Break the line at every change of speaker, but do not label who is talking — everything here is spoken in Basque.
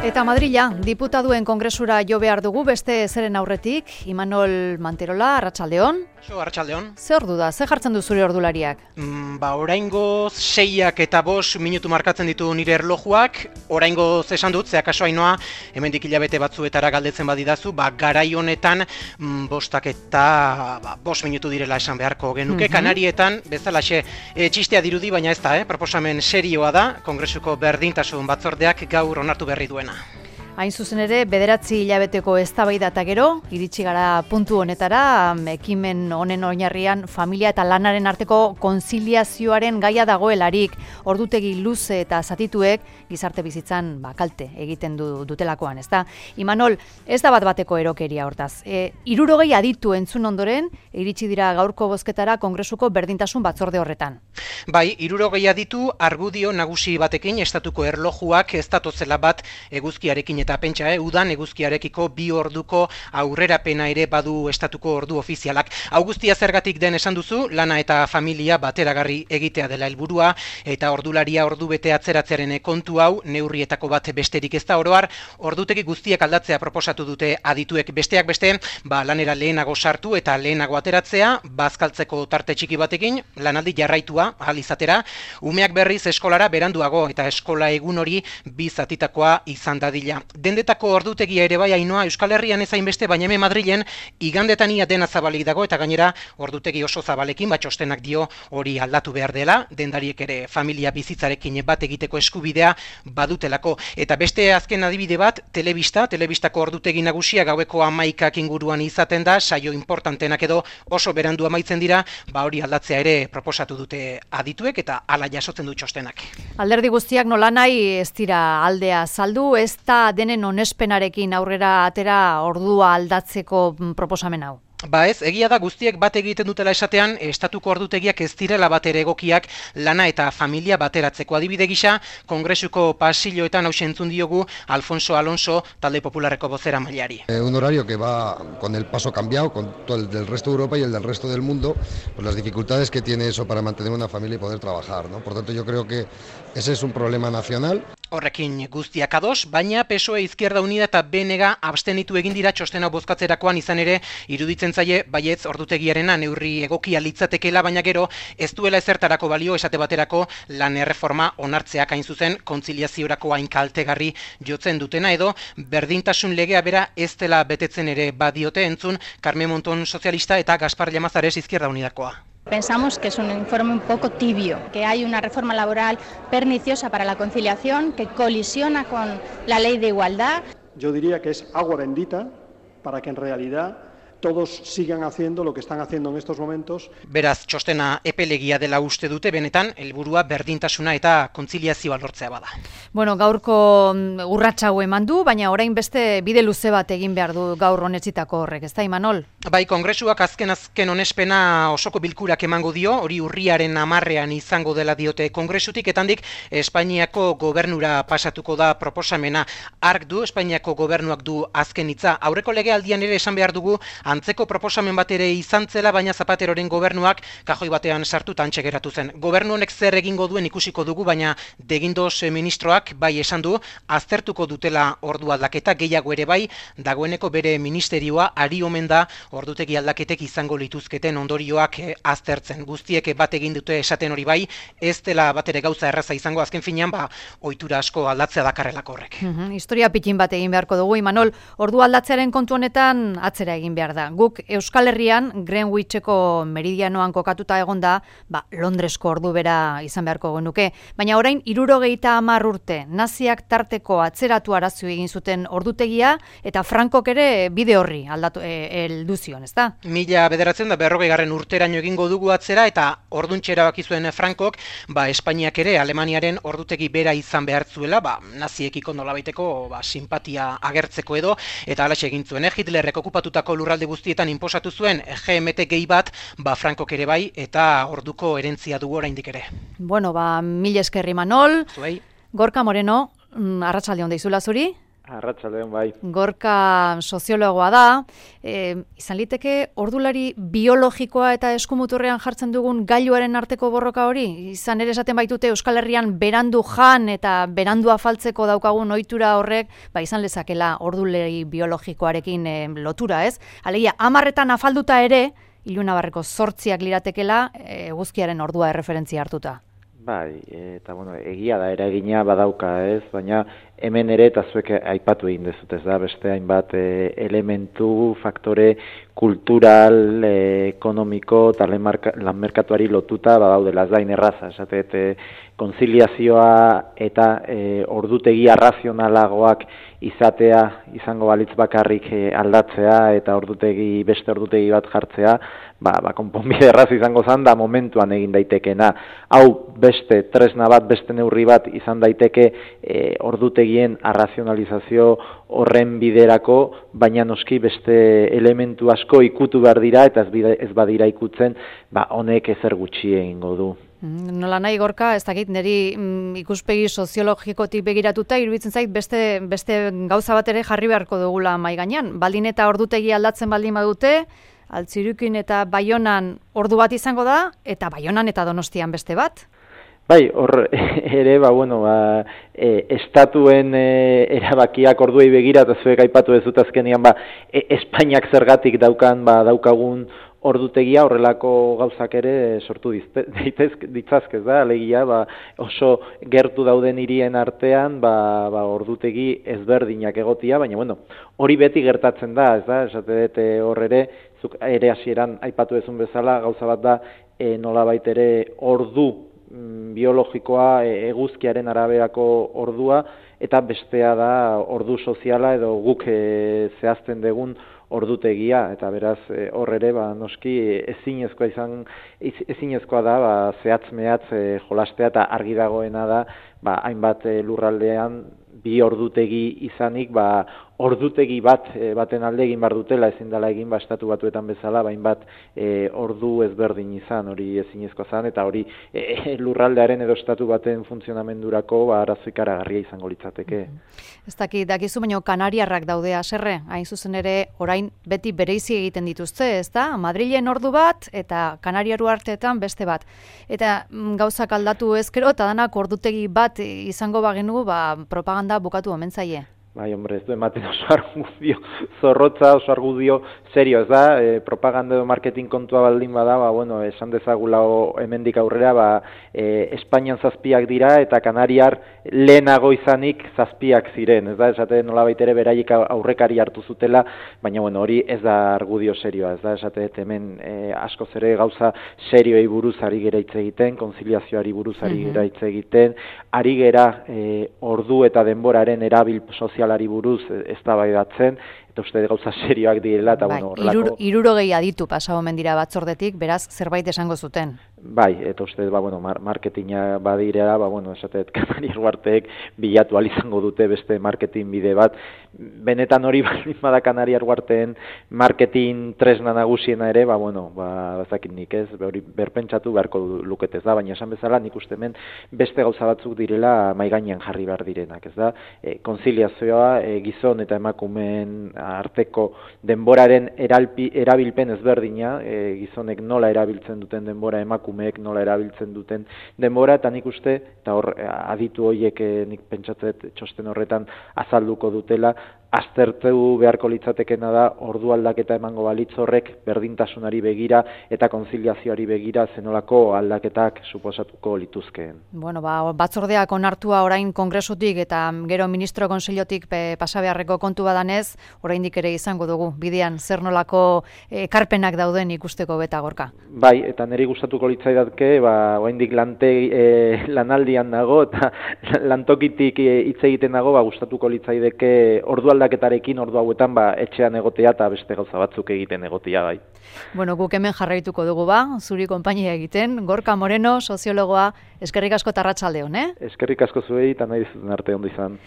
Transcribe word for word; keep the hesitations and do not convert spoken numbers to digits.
Eta Madrila, diputaduen kongresura jo behar dugu beste zeren aurretik, Imanol Manterola, Arratsaldeon.
Jo, Arratsaldeon.
Ze ordu da, ze jartzen du zure ordulariak?
Mm, ba, oraingoz seiak eta bost minutu markatzen ditu nire erlojuak, oraingoz esan dut, ze akaso Ainoa, hemendik hilabete batzuetara galdetzen badidazu, ba, garai honetan mm, bostak eta ba, bost minutu direla esan beharko genuke, mm-hmm. Kanarietan, bezalaxe, e, txistea dirudi, baina ez da, eh? Proposamen serioa da, Kongresuko berdintasun batzordeak gaur onartu berri duena.
Hain zuzen ere, bederatzi hilabeteko eztabaida eta gero, iritsi gara puntu honetara, ekimen honen oinarrian familia eta lanaren arteko konziliazioaren gaia dagoelarik, ordutegi luze eta zatituek gizarte bizitzan ba, kalte egiten du, dutelakoan, ezta? Imanol, ez da bat bateko erokeria hortaz. E, hirurogei aditu entzun ondoren, iritsi dira gaurko bozketara Kongresuko berdintasun batzorde horretan.
Bai, hirurogei aditu argudio nagusi batekin estatuko erlojuak ez datozela bat eguzkiarekin eta pentsa, eh, udan eguzkiarekiko bi orduko aurrerapena ere badu estatuko ordu ofizialak. Hau guztia zergatik den esan duzu, lana eta familia bateragarri egitea dela helburua eta ordularia ordu bete atzeratzearen kontu hau neurrietako bat besterik ez da. Oro har, ordutegi guztiak aldatzea proposatu dute adituek, besteak beste, ba, lanera lehenago sartu eta lehenago ateratzea, bazkaltzeko tarte txiki batekin, lanaldi jarraitua ahal izatera, umeak berriz eskolara beranduago eta eskola egun hori bi zatitakoa izan dadila. Dendetako ordutegia ere bai Ainoa Euskal Herrian ez hainbeste, baina hemen Madrilen igandetan ia dena zabalik dago eta gainera ordutegi oso zabalekin, bat txostenak dio hori aldatu behar dela, dendariek ere familia bizitzarekin bat egiteko eskubidea badutelako. Eta beste azken adibide bat, telebista, telebistako ordutegi nagusia gaueko hamaikak inguruan izaten da, saio importantenak edo oso berandu amaitzen dira, ba hori aldatzea ere proposatu dute adituek eta hala jasotzen du txostenak.
Alderdi guztiak nolanahi ez dira aldea saldu, ez da denen onespenarekin aurrera atera ordua aldatzeko proposamen hau.
Ba ez, egia da guztiek bat egiten dutela esatean, estatuko ordutegiak ez direla batere egokiak lana eta familia bateratzeko. Adibide gisa, Kongresuko pasilloetan hauxe entzun diogu Alfonso Alonso, talde popularreko bozera mailari.
Eh, un horario que va con el paso cambiado, con todo el del resto de Europa y el del resto del mundo, pues las dificultades que tiene eso para mantener una familia y poder trabajar, ¿no? Por tanto, yo creo que ese es un problema nacional.
Horrekin guztiak ados, baina P S O E, Izquierda Unida eta B N G abstenitu egin dira txostena bozkatzerakoan, izan ere iruditzen zaie baietz ordutegiarena neurri egokia litzatekeela, baina gero ez duela ezertarako balio esate baterako lan erreforma onartzeak hain zuzen kontziliaziorako hain kaltegarri jotzen dutena edo berdintasun legea bera ez dela betetzen ere badiote entzun Carmen Monton sozialista eta Gaspar Llamazares Izquierda Unidakoa.
Pensamos que es un informe un poco tibio, que hay una reforma laboral perniciosa para la conciliación, que colisiona con la ley de igualdad.
Yo diría que es agua bendita para que en realidad todos sigan haciendo lo que están haciendo en estos momentos.
Beraz, txostena epelegia dela uste dute, benetan, helburua berdintasuna eta kontziliazioa lortzea bada.
Bueno, gaurko urratsa hau eman du, baina orain beste bide luze bat egin behar du gaur honetzitako horrek, ez da, Imanol?
Bai, Kongresuak azken-azken onespena osoko bilkurak emango dio, hori urriaren hamarrean izango dela diote Kongresutik, etandik Espainiako gobernura pasatuko da proposamena. Ark du, Espainiako gobernuak du azken hitza. Aurreko legealdian ere esan behar dugu, antzeko proposamen bat ere izan zela, baina Zapateroren gobernuak kajoi batean sartu tantxe geratu zen. Gobernu honek zer egingo duen ikusiko dugu, baina Degindos ministroak bai esan du, aztertuko dutela ordu aldaketa, gehiago ere bai, dagoeneko bere ministerioa ari omen da ordutegi aldaketek izango lituzketen ondorioak aztertzen. Guztiek bat egin dute esaten hori bai, ez dela batere gauza erraza izango, azken finean, ba, ohitura asko aldatzea dakarrelako horrek.
Mm-hmm. Historia pikin bat egin beharko dugu, Imanol, ordu aldatzearen kontu honetan atzera egin behar da. Guk Euskal Herrian Greenwicheko meridianoan kokatuta egonda, ba, Londresko ordu bera izan beharko genuke, baina orain hirurogeita hamar urte naziak tarteko atzeratu arazu egin zuten ordutegia eta Frankok ere bide horri aldatu heldu zion, ezta?
Mila bederatzen da berrogeigarren urteraino egingo dugu atzera eta orduntxe erabaki zuen Frankok, ba, Espainiak ere Alemaniaren ordutegi bera izan behar zuela, ba, naziekiko nolabaiteko ba, simpatia agertzeko edo, eta halaxe egin zuen, eh? Hitlerrek okupatutako lurralde guztietan inposatu zuen G M T gehi bat, ba Frankok ere bai, eta orduko herentzia dugu oraindik ere.
Bueno, ba, mil esker Imanol.
Zuei.
Gorka Moreno, arratsalde on deizula zuri.
Arratsaldeon bai.
Gorka soziologoa da, e, izan liteke ordulari biologikoa eta eskumuturrean jartzen dugun gailuaren arteko borroka hori? Izan ere esaten baitute Euskal Herrian berandu jan eta berandu afaltzeko daukagun ohitura horrek, ba izan lezakela ordulari biologikoarekin e, lotura, ez? Alegia, hamarretan afalduta ere, ilunabarreko zortziak liratekela eguzkiaren ordua erreferentzia hartuta.
Bai, eta bueno, egia da eragina badauka, ez, baina hemen ere eta zuek aipatu egin dezut, ez da, beste hainbat e, elementu, faktore kultural, e, ekonomiko eta lanmerkatuari lotuta badaudela, ez da, inerraza, esatet, e, konziliazioa eta e, ordutegi arrazionalagoak izatea, izango balitz bakarrik e, aldatzea eta ordutegi, beste ordutegi bat jartzea, ba, ba konponbide erraz izango zan da momentuan egin daitekena. Hau beste tresna bat, beste neurri bat izan daiteke e, ordutegien arrazionalizazio horren biderako, baina noski beste elementu asko ikutu behar dira eta ez, bide, ez badira ikutzen, ba honek ezer gutxi egingo du.
Nola nahi Gorka, ez dakit niri mm, ikuspegi soziologikotik begiratuta iruditzen zait beste, beste gauza bat ere jarri beharko dugula mai gainean. Baldin eta ordutegi aldatzen baldin badute, Altzirukin eta Baionan ordu bat izango da, eta Baionan eta Donostian beste bat?
Bai, hor ere, ba, bueno, ba, e, estatuen e, erabakiak orduei begira, eta zuek aipatu dezut azkenean, ba, e, Espainiak zergatik daukan, ba, daukagun ordutegia horrelako gauzak ere sortu ditzazkez da, alegia, ba, oso gertu dauden hirien artean, ba, ba, ordutegi ezberdinak egotia, baina, bueno, hori beti gertatzen da, ez da, esate dute hor ere, zuk ere hasieran aipatu ezun bezala, gauza bat da, e, nolabait ere ordu biologikoa, eguzkiaren araberako ordua, eta bestea da ordu soziala edo guk e, zehazten dugun ordutegia, eta beraz hor ere ba, noski ezinezkoa izan ezinezkoa da ba, zehatz mehatz e, jolastea eta argi dagoena da ba, hainbat e, lurraldean bi ordutegi izanik ba, ordutegi bat e, baten alde egin bar dutela ezin dela egin ba, estatu batuetan bezala bain bat e, ordu ezberdin izan hori ezinezkoa zan eta hori e, lurraldearen edo estatu baten funtzionamendurako ba, arazo ikaragarria izango litzateke.
Ez dakit, dakizu baino Kanariarrak daude haserre, hain zuzen ere orain beti bereizi egiten dituzte, ez da? Madrilen ordu bat eta Kanariaru arteetan beste bat. Eta m, gauzak aldatu ezkero eta danak ordutegi bat izango bagenu ba, propaganda bukatu omen zaie.
Bai, hombre, ez du ematen oso argudio zorrotza, oso argudio serio, ez da, e, propaganda edo marketing kontua baldin bada, ba, bueno, esan dezagula hemendik aurrera, ba, e, Espainian zazpiak dira eta Kanariar lehenago izanik zazpiak ziren, ez da, esate nolabait ere beraiek aurrekari hartu zutela, baina, bueno, hori ez da argudio serioa, ez da, esate hemen e, askoz ere gauza serioei buruz ari gera hitz egiten, konziliazioari buruz ari gera hitz egiten, ari gera e, ordu eta denboraren erabil sozial ari buruz eztabaidatzen eta uste gauza serioak direla eta
bai,
bueno, horrelako
hirurogei aditu pasatu omen dira batzordetik, beraz zerbait esango zuten.
Bai, eta uste ba bueno, mar marketinga badirela, ba bueno, esatet Kanariar Uharteek bilatu al izango dute beste marketing bide bat. Benetan hori bada Kanariar Uharteen marketing tresna nagusiena ere, ba bueno, ba ezakit nik, ez, hori berpentsatu beharko lukete, ez da, baina esan bezala nik uste hemen beste gauza batzuk direla mai gainean jarri behar direnak, ez da? E, konziliazioa e, gizon eta emakumeen arteko denboraren eralpi, erabilpen ezberdina, e, gizonek nola erabiltzen duten denbora, emakumeek nola erabiltzen duten denbora, eta nik uste, eta hor aditu horiek e, nik pentsatzet txosten horretan azalduko dutela, aztertu beharko litzatekena da ordu aldaketa emango balitz horrek berdintasunari begira eta konziliazioari begira zenolako aldaketak suposatuko lituzkeen.
Bueno, ba, batzordeak onartua orain kongresutik eta gero ministro konseillotik pasa beharreko kontu badanez, oraindik ere izango dugu bidean zer nolako ekarpenak dauden ikusteko beta Gorka.
Bai, eta niri gustatuko litzaidatke, ba oraindik lante e, lanaldian nago eta lantokitik hitz e, egiten nago, ba gustatuko litzaideke ordu aldaketarekin ordu hauetan ba etxean egotea eta beste gauza batzuk egiten egotea bai.
Bueno, guk hemen jarraituko dugu ba, zuri konpainia egiten. Gorka Moreno, soziologoa, eskerrik asko eta arratsalde on, eh?
Eskerrik asko zuei eta nahi dizuten arte ondo izan.